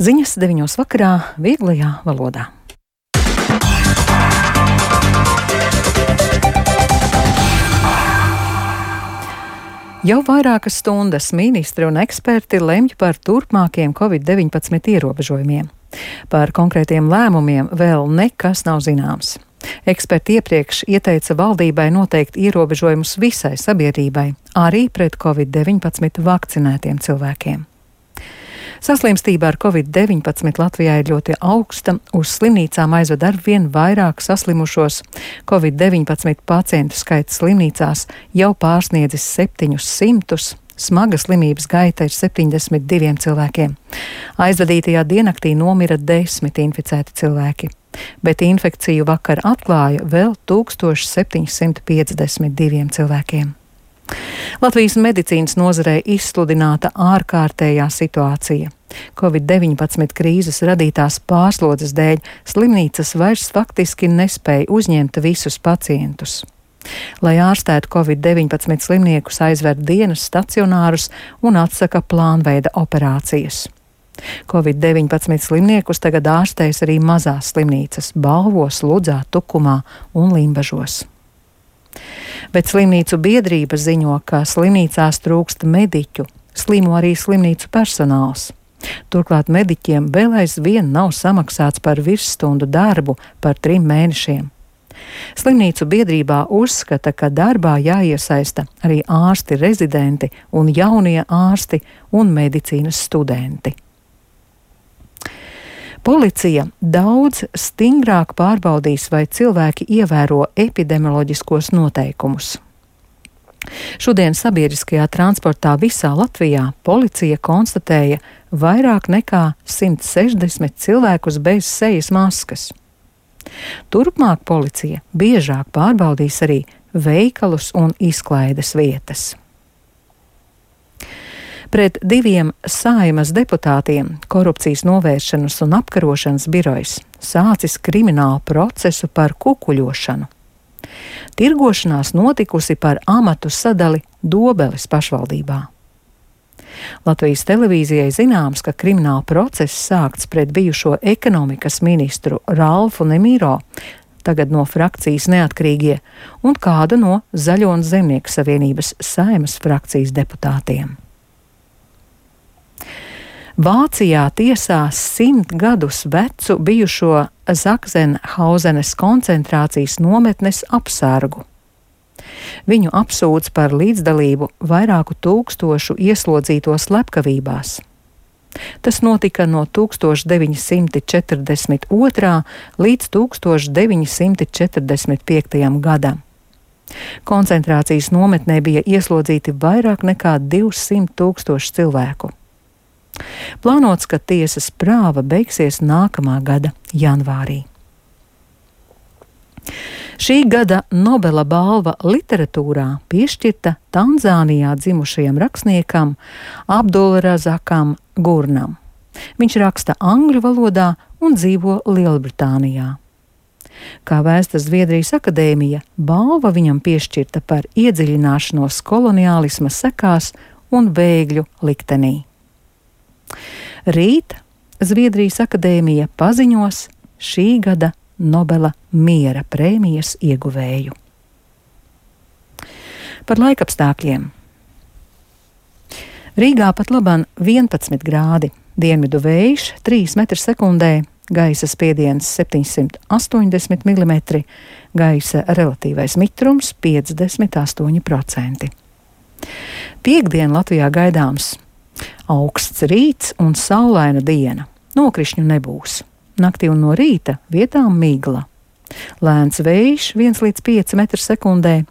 Ziņas 9 vakarā vieglajā valodā. Jau vairākas stundas ministri un eksperti lemj par turpmākiem Covid-19 ierobežojumiem. Par konkrētiem lēmumiem vēl nekas nav zināms. Eksperti iepriekš ieteica valdībai noteikt ierobežojumus visai sabiedrībai, arī pret Covid-19 vakcinētiem cilvēkiem. Saslimstība ar Covid-19 Latvijā ir ļoti augsta, uz slimnīcām aizved arvien vairāk saslimušos. Covid-19 pacientu skaits slimnīcās jau pārsniedzis 700, smaga slimības gaita ir 72 cilvēkiem. Aizvadītajā diennaktī nomira 10 inficēti cilvēki, bet infekciju vakar atklāja vēl 1752 cilvēkiem. Latvijas medicīnas nozarē izsludināta ārkārtējā situācija. Covid-19 krīzes radītās pārslodzes dēļ slimnīcas vairs faktiski nespēja uzņemt visus pacientus. Lai ārstētu Covid-19 slimniekus, aizver dienas stacionārus un atsaka plānveida operācijas. Covid-19 slimniekus tagad ārstēs arī mazās slimnīcas Balvos, Ludzā, Tukumā un Limbažos. Bet slimnīcu biedrība ziņo, ka slimnīcās trūkst mediķu, slimo arī slimnīcu personāls. Turklāt mediķiem vēl aizvien nav samaksāts par virsstundu darbu par 3 mēnešiem. Slimnīcu biedrībā uzskata, ka darbā jāiesaista arī ārsti rezidenti un jaunie ārsti un medicīnas studenti. Policija daudz stingrāk pārbaudīs, vai cilvēki ievēro epidemioloģiskos noteikumus. Šodien sabiedriskajā transportā visā Latvijā policija konstatēja vairāk nekā 160 cilvēkus bez sejas maskas. Turpmāk policija biežāk pārbaudīs arī veikalus un izklaides vietas. Pret 2 Saeimas deputātiem Korupcijas novēršanas un apkarošanas birojs sācis kriminālu procesu par kukuļošanu. Tirgošanās notikusi par amatu sadali Dobeles pašvaldībā. Latvijas televīzijai zināms, ka krimināla process sākts pret bijušo ekonomikas ministru Ralfu Nemiro, tagad no frakcijas Neatkarīgie, un kādu no Zaļo un Zemnieku savienības Saeimas frakcijas deputātiem. Vācijā tiesās 100 gadus vecu bijušo Zaksenhausenes koncentrācijas nometnes apsargu. Viņu apsūdz par līdzdalību vairāku tūkstošu ieslodzīto slepkavībās. Tas notika no 1942. līdz 1945. gadam. Koncentrācijas nometnē bija ieslodzīti vairāk nekā 200 000 cilvēku. Plānots, ka tiesas prāva beigsies nākamā gada janvārī. Šī gada Nobela balva literatūrā piešķirta Tanzānijā dzimušajam rakstniekam Abdulrazakam Gurnam. Viņš raksta angļu valodā un dzīvo Lielbritānijā. Kā vēsta Zviedrijas akadēmija, balva viņam piešķirta par iedziļināšanos koloniālisma sekās un bēgļu liktenī. Rīt Zviedrijas akadēmija paziņos šī gada Nobela miera prēmijas ieguvēju. Par laikapstākļiem. Rīgā pat laban 11 grādi, dienvidu vējš 3 m/sekundē, gaisa spiediens 780 mm, gaisa relatīvais mitrums 58%. Piektdien Latvijā gaidāms auksts rīts un saulaina diena. Nokrišņu nebūs. Naktī un no rīta vietām migla. Lēns vējš 1 līdz 5 m/sekundē.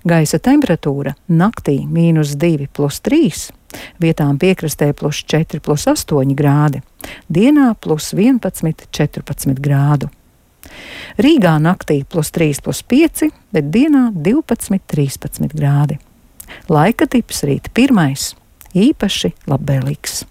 Gaisa temperatūra naktī -2 + 3, vietām piekrastē +4 + 8 grādi, dienā +11, 14 grādu. Rīgā naktī +3 + 5, bet dienā 12, 13 grādi. Laika tips rīt 1. īpaši labvēlīgs.